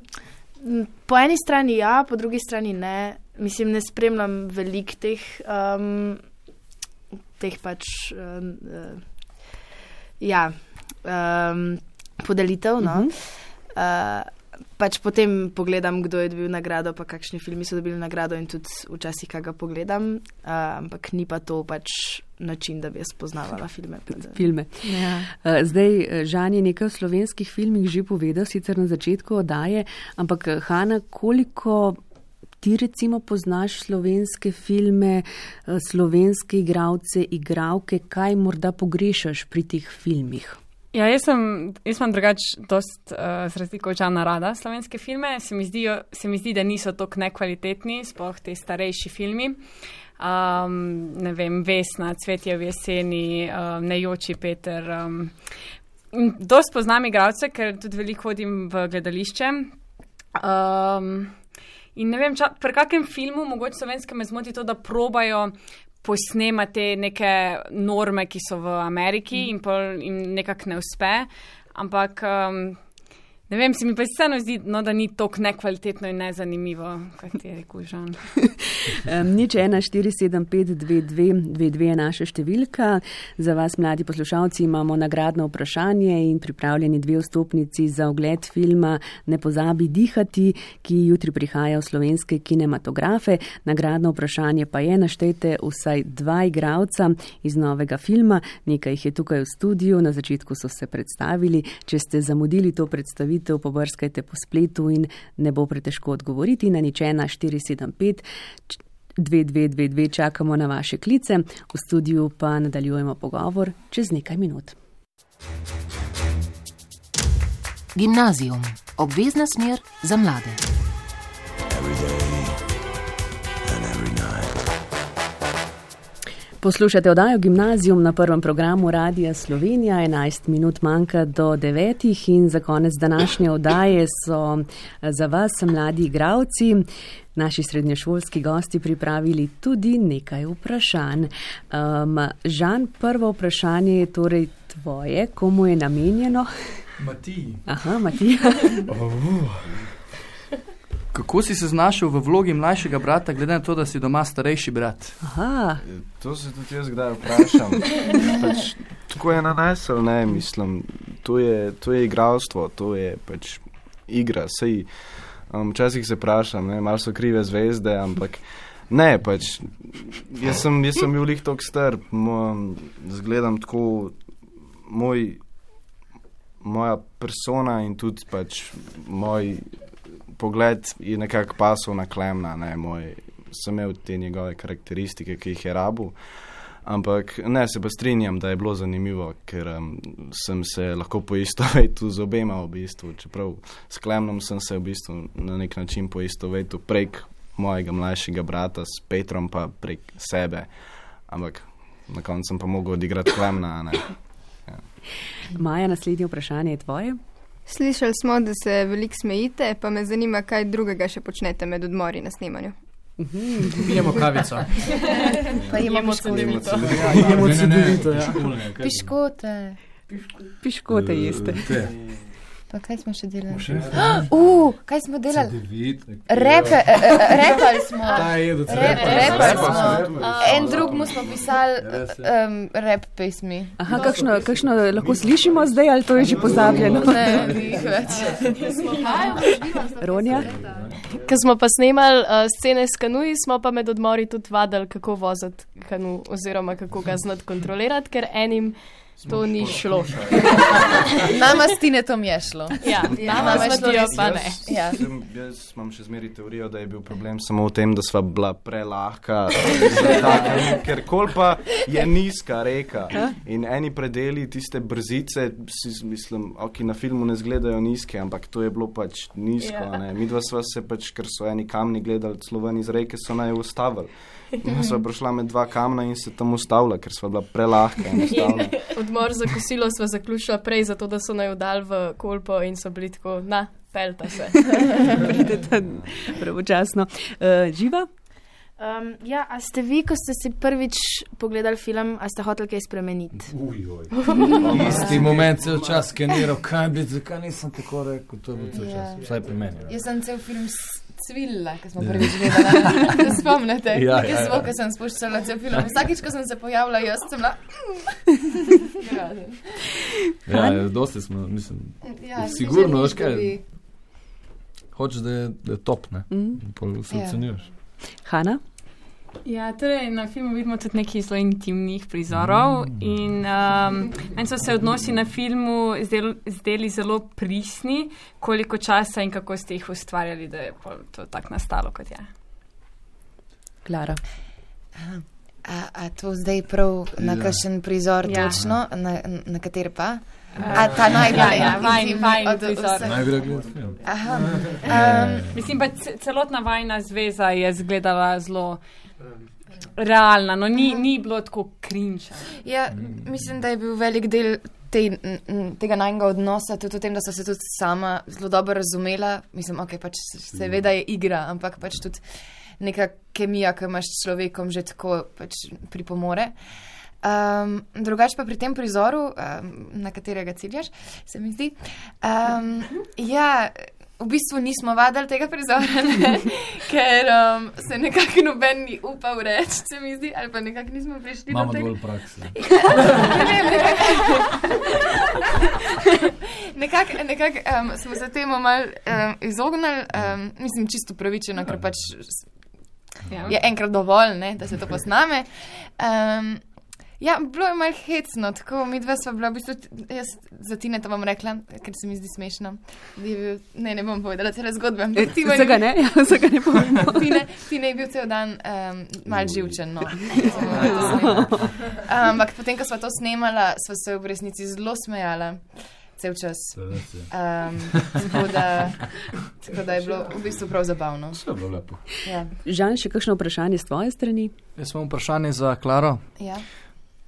po eni strani ja, po drugi strani ne. Mislim, ne spremljam veliko teh um, teh pač uh, uh, ja, um, podelitev. No. Uh-huh. Uh, pač potem pogledam, kdo je dobil nagrado, pa kakšni filmi so dobili nagrado in tudi včasih kaj ga pogledam, uh, ampak ni pa to pač način, da bi jaz poznavala filme. filme. Ja. Uh, zdaj, Žan je nekaj v slovenskih filmih že povedal, sicer na začetku oddaje, ampak Hana, koliko ti recimo poznaš slovenske filme, slovenske igralce, igralke, kaj morda pogrešaš pri teh filmih? Ja, jaz sem, jaz imam drugač dost, uh, z razliko od Žana rada slovenske filme. Se mi, zdijo, se mi zdi, da niso toliko nekvalitetni, sploh te starejši filmi. Um, ne vem, Vesna, Cvetje v jeseni, um, Nejoči Peter. Um, dost poznam igralce, ker tudi veliko hodim v gledališče. Um, in ne vem, ča, pri kakem filmu, mogoče slovenske me zmoti to, da probajo posnema te neke norme, ki so v Ameriki in pol jim nekako ne uspe, ampak um, ne vem, se mi pa vseeno zdi, no, da ni toliko nekvalitetno in nezanimivo, kot je rekel Žan. um, nič ena štiri sedem pet dve dve dve dve je naša številka. Za vas, mladi poslušalci, imamo nagradno vprašanje in pripravljeni dve vstopnici za ogled filma Ne pozabi dihati, ki jutri prihaja v slovenske kinematografe. Nagradno vprašanje pa je, naštejte vsaj dva igralca iz novega filma, nekaj jih je tukaj v studiu, na začetku so se predstavili. Če ste zamudili to predstavitev, pobrskajte po spletu in ne bo pretežko odgovoriti. Na nič ena štiri sedem pet dve dve dve dve čakamo na vaše klice, v studiu pa nadaljujemo pogovor čez nekaj minut. Gimnazijum. Obvezna smer za mlade. Poslušate oddajo Gimnazijum na prvem programu Radia Slovenija, enajst minut manjka do devetih in za konec današnje oddaje so za vas, mladi igralci, naši srednješolski gosti pripravili tudi nekaj vprašanj. Um, Žan, prvo vprašanje je torej tvoje, komu je namenjeno? Matiji. Aha, Matija. oh. Kako si se znašel v vlogi mlajšega brata, glede na to, da si doma starejši brat? Aha. To se tudi jaz kdaj vprašam. pač, tako je nanesel, ne, mislim. To je, to je igralstvo, to je pač igra. Sej, um, včasih se vprašam, ne, malo so krive zvezde, ampak ne, pač, jaz sem, jaz sem bil lih tok star, mo, zgledam tako, moj, moja persona in tudi pač moj pogled je nekako pasal na Klemna, ne, moj, sem imel te njegove karakteristike, ki jih je rabil, ampak ne, se pa strinjam, da je bilo zanimivo, ker um, sem se lahko poistovetil z obema v bistvu, čeprav s Klemnom sem se v bistvu na nek način poistovetil prek mojega mlajšega brata, s Petrom pa prek sebe, ampak na koncu sem pa mogel odigrati Klemna, ne. Ja. Maja, naslednje vprašanje je tvoje. Slišali smo, da se veliko smejite, pa me zanima, kaj drugega še počnete med odmori na snemanju. Pijemo kavico. Pa imamo cedevito. Imamo cedevito, ja. Piškote. Piškote jeste. Pa kaj smo še delali? Uh, kaj smo delali? Repe, repali smo. Repali smo. En drug mu smo pisali um, rep pesmi. Aha, kakšno, kakšno lahko slišimo zdaj, ali to je že pozabljeno? Ne, ni jih več. Ronja? Ko smo pa snemali uh, scene s kanuji, smo pa med odmori tudi vadili, kako voziti kanu oziroma kako ga znati kontrolirati, ker enim to ni šlo. Nama s Tinetom je šlo. Ja, nama s Matijo pa ne. Ja. Jaz, jaz imam še zmeri teorijo, da je bil problem samo v tem, da sva bila prelahka, taka, ker kolpa je nizka reka in eni predeli tiste brzice, si, mislim, ok, na filmu ne zgledajo nizke, ampak to je bilo pač nizko. Ja. Ne. Midva sva se pač, ker so eni kamni gledali celo ven iz reke, so naj ustavili. In sva prišla med dva kamna in se tam ustavila, ker sva bila prelahka in ustavila. Odmor za kosilo sva zaključila prej, zato da so naj udali v kolpo in so bili tako, na, pelta se. Pridete pravočasno. Uh, Živa? Um, ja, a ste vi, ko ste si prvič pogledali film, a ste hoteli kaj spremeniti? Ujoj. Isti moment cel čas skeniral, kaj bi, zakaj nisem tako rekel, to je bil cel čas, vsaj pri meni. Jaz sem cel film cvilila, ko smo prvič gledali. Se spomnite? Ja, ja, jaz ja. smo, ko sem spuščala cel film. Vsakič, ko sem se pojavila, jaz sem bila... Ja, dosti smo, mislim, ja, sigurno, veš kaj, hočeš, da je, da je top, ne? Mm. Pol se ocenjuješ. Hanna? Ja, torej na filmu vidimo tudi nekaj zelo intimnih prizorov mm. in um, meni so se odnosi na filmu zdeli, zdeli zelo prisni, koliko časa in kako ste jih ustvarjali, da je to tako nastalo, kot je. Klara. A, a to zdaj prav na Ja. kakšen prizor Ja. točno, na, na kater pa? A ta najbolj Ja, ja, vajin- intimni vajin od prizor. vseh? Najgre gledati film. Aha. Um, Mislim pa, ce- celotna vajna zveza je izgledala zelo realna, no ni, ni bilo tako krinča. Ja, mislim, da je bil velik del te, n, n, tega najnega odnosa tudi v tem, da so se tudi sama zelo dobro razumela. Mislim, ok, pač seveda je igra, ampak pač tudi neka kemija, ki imaš s človekom že tako pač pripomore. Um, drugače pa pri tem prizoru, um, na katerega ciljaš, se mi zdi, um, ja, v bistvu nismo vadili tega prizora, ne, ker um, se nekako noben ni upal reči, se mi zdi, ali pa nekako nismo prišli Imamo do tega. dovolj prakse. Nekako nekak, um, smo se temu malo um, izognili, um, mislim, čisto pravičeno, ker pač Ja. je enkrat dovolj, ne, da se to posname. Um, ja, bilo je malo hecno, tako mi dva sva bila, v bistvu, jaz za Tineta bom rekla, ker se mi zdi smešno. Je bil, ne, ne bom povedala cele zgodbe. E, Vsega ne, ja, vsega ne povemo. Tine, Tine je bil cel dan um, mal živčen, no. Ampak potem, ko sva to snemala, sva se v resnici zelo smejala. Cel čas. Um, tako, da, tako da je bilo v bistvu prav zabavno. Vse je bilo lepo. Ja. Žan, še kakšno vprašanje s tvoje strani? Jaz imam vprašanje za Klaro. Ja.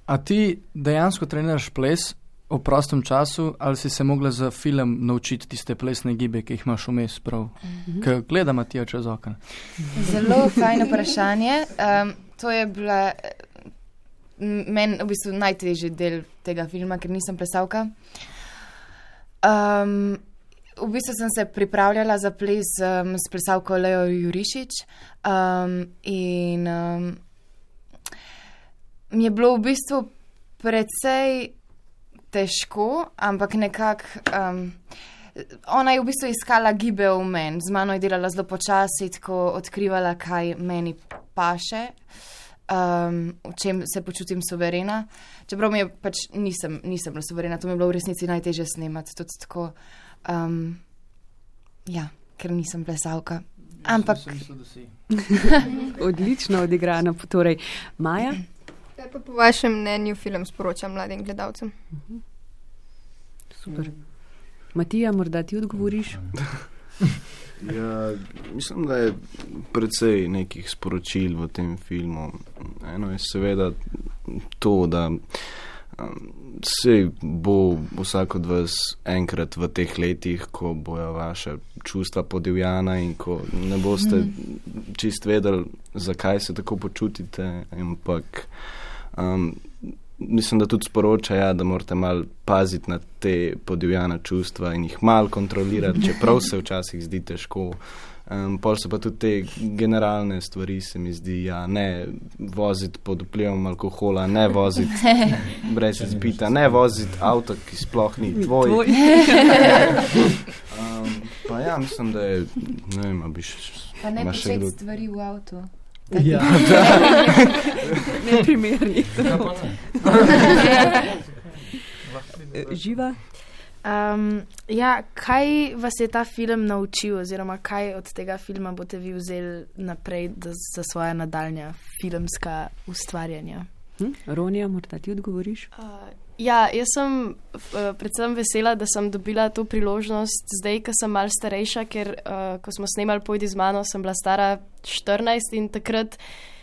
A ti dejansko treniraš ples v prostem času ali si se mogla za film naučiti tiste plesne gibe, ki jih imaš vmes prav? Mm-hmm. Ker gleda Matija čez okno. Zelo fajno vprašanje. Um, to je bila meni v bistvu najtežji del tega filma, ker nisem plesalka. Um, v bistvu sem se pripravljala za ples um, s plesalko Leo Jurišič um, in um, mi je bilo v bistvu precej težko, ampak nekako um, ona je v bistvu iskala gibe v meni, z mano je delala zelo počasi, tako odkrivala, kaj meni paše. Um, v čem se počutim suverena. Čeprav mi je pač nisem, nisem bila suverena, to mi je bilo v resnici najtežje snemati. Tudi tako, um, ja, ker nisem plesalka. Ampak. Odlično odigrana. Torej, Maja? Kaj pa po vašem mnenju film sporoča mladim gledalcem? Super. Matija, morda ti odgovoriš? Ja, mislim, da je precej nekih sporočil v tem filmu. Eno je seveda to, da um, se bo vsak od vas enkrat v teh letih, ko bojo vaše čustva podivjana in ko ne boste mm. čist vedeli, zakaj se tako počutite, ampak um, mislim, da tudi sporoča, ja, da morate malo paziti na te podivjana čustva in jih malo kontrolirati, čeprav se včasih zdi težko. Um, pol so pa tudi te generalne stvari, se mi zdi, ja, ne voziti pod vplivom alkohola, ne voziti brez izpita, ne voziti avto, ki sploh ni tvoj. um, pa ja, mislim, da je, ne vem, a bi še... Pa ne početi stvari v avtu. Ja, neprimerni. Živa? Um, ja, kaj vas je ta film naučil, oziroma kaj od tega filma boste vi vzeli naprej da, za svoja nadaljnja filmska ustvarjanja? Hm? Ronja, morda ti odgovoriš? Uh, ja, jaz sem uh, predvsem vesela, da sem dobila to priložnost zdaj, ko sem malo starejša, ker uh, ko smo snemali Pojdi z mano, sem bila stara štirinajst in takrat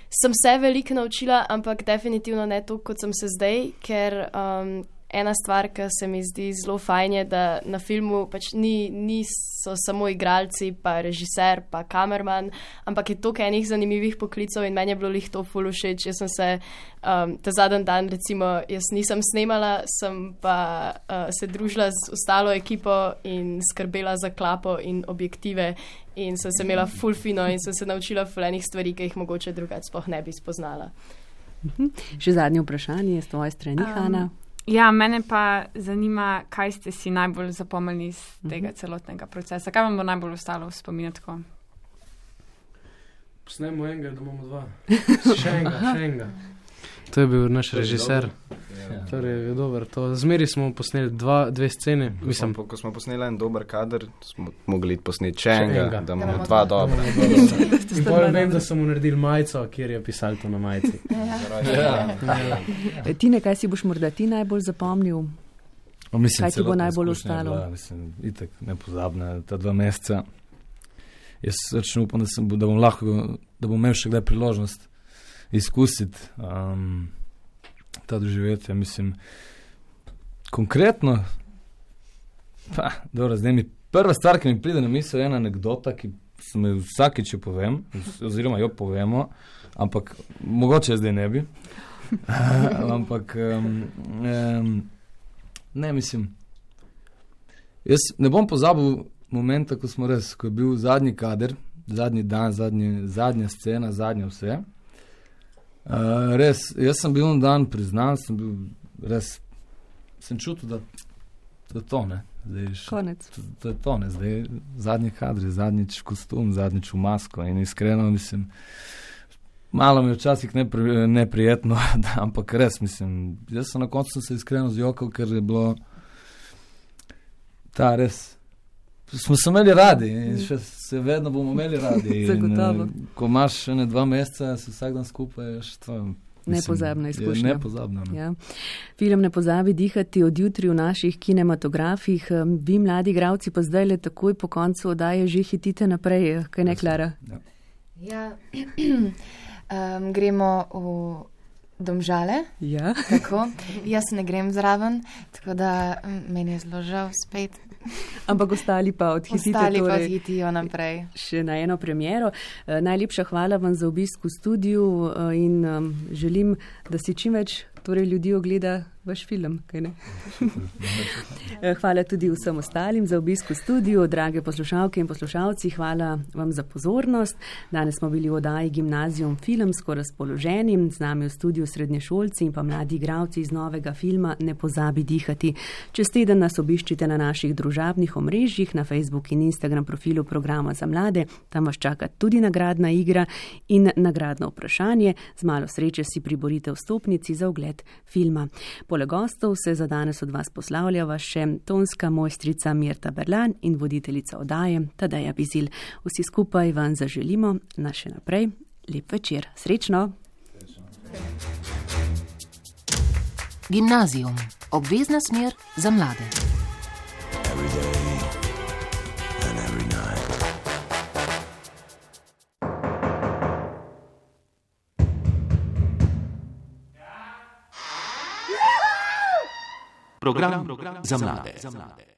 sem se veliko naučila, ampak definitivno ne to, kot sem se zdaj, ker um, ena stvar, ki se mi zdi zelo fajn, je, da na filmu pač ni, niso samo igralci, pa režiser, pa kamerman, ampak je toliko enih zanimivih poklicov in meni je bilo lih to ful všeč. Jaz sem se um, ta zadnji dan, recimo, jaz nisem snemala, sem pa uh, se družila z ostalo ekipo in skrbela za klapo in objektive in sem se imela ful fino in sem se naučila ful enih stvari, ki jih mogoče drugače sploh ne bi spoznala. Mhm. Še zadnje vprašanje je s tvoje strani, um, Hana. Ja, mene pa zanima, kaj ste si najbolj zapomnili iz tega uh-huh. celotnega procesa. Kaj vam bo najbolj ostalo v spominu tako? Posnemo enega, da imamo dva. Še enega, še enega. To je bil naš režiser. Ja. Torej, je dober. To. Zmeri smo posneli dva, dve scene. Mislim, ko smo posneli en dober kader, smo mogli posneti še enega, da imamo dva dobra. In potem vem, da smo naredili majico, kjer je pisal to na majici. Ja. Ja. Tine, kaj si boš morda ti najbolj zapomnil? O, mislim, kaj ti bo najbolj ostalo? Bila, mislim, itak nepozabna ta dva meseca. Jaz račun upam, da, sem, da bom lahko, da bom imel še kdaj priložnost izkusiti um, ta doživetje, mislim, konkretno, pa, dobro, zdaj mi prva stvar, ki mi pride na misel, je ena anekdota, ki se mi vsakič jo povem, oziroma jo povemo, ampak mogoče zdaj ne bi, ampak um, um, ne, mislim, jaz ne bom pozabil momenta, ko smo res, ko je bil zadnji kader, zadnji dan, zadnji, zadnja scena, zadnja vse. Uh, res, jaz sem bil en dan priznan, sem bil res, sem čutil, da, da to ne. Zdaj, konec. Da je to ne, zdaj zadnji kadri, zadnjič kostum, zadnjič v masko in iskreno mislim, malo mi je včasih nepri, neprijetno, da, ampak res mislim, jaz sem na koncu sem se iskreno zjokal, ker je bilo ta res, smo se imeli radi in še se vedno bomo imeli radi. Zagotovo. In, ko imaš še ne dva meseca, se vsak dan skupaj, je to, mislim, nepozabna izkušnja. Nepozabna. No. Ja. Film Ne pozabi dihati od jutri v naših kinematografih. Vi, mladi igralci, pa zdaj le takoj po koncu oddaje že hitite naprej. Kaj ne, Klara? Ja, ja. um, gremo v Domžale. Ja. Tako. Jaz ne grem zraven, tako da meni je zelo žal spet. Ampak ostali pa odhitite. Ostali torej, pa odhitijo naprej. Še na eno premiero. E, najlepša hvala vam za obisk v studiu e, in um, želim, da si čim več torej, ljudi ogleda vaš film. Kaj ne? Hvala tudi vsem ostalim za obisk v studiu. Drage poslušalke in poslušalci, hvala vam za pozornost. Danes smo bili v oddaji Gimnazijum filmsko razpoloženi. Z nami v studiu srednješolci in pa mladi igralci iz novega filma Ne pozabi dihati. Čez teden nas obiščite na naših družabnih omrežjih, na Facebook in Instagram profilu programa za mlade. Tam vas čaka tudi nagradna igra in nagradno vprašanje. Z malo sreče si priborite vstopnici za ogled filma. Poleg gostov se za danes od vas poslavljava še tonska mojstrica Mirta Berlan in voditeljica oddaje Tadeja Bizil. Vsi skupaj vam zaželimo na še naprej lep večer. Srečno! Gimnazijum. Obvezna smer za mlade. Program, program za mlade.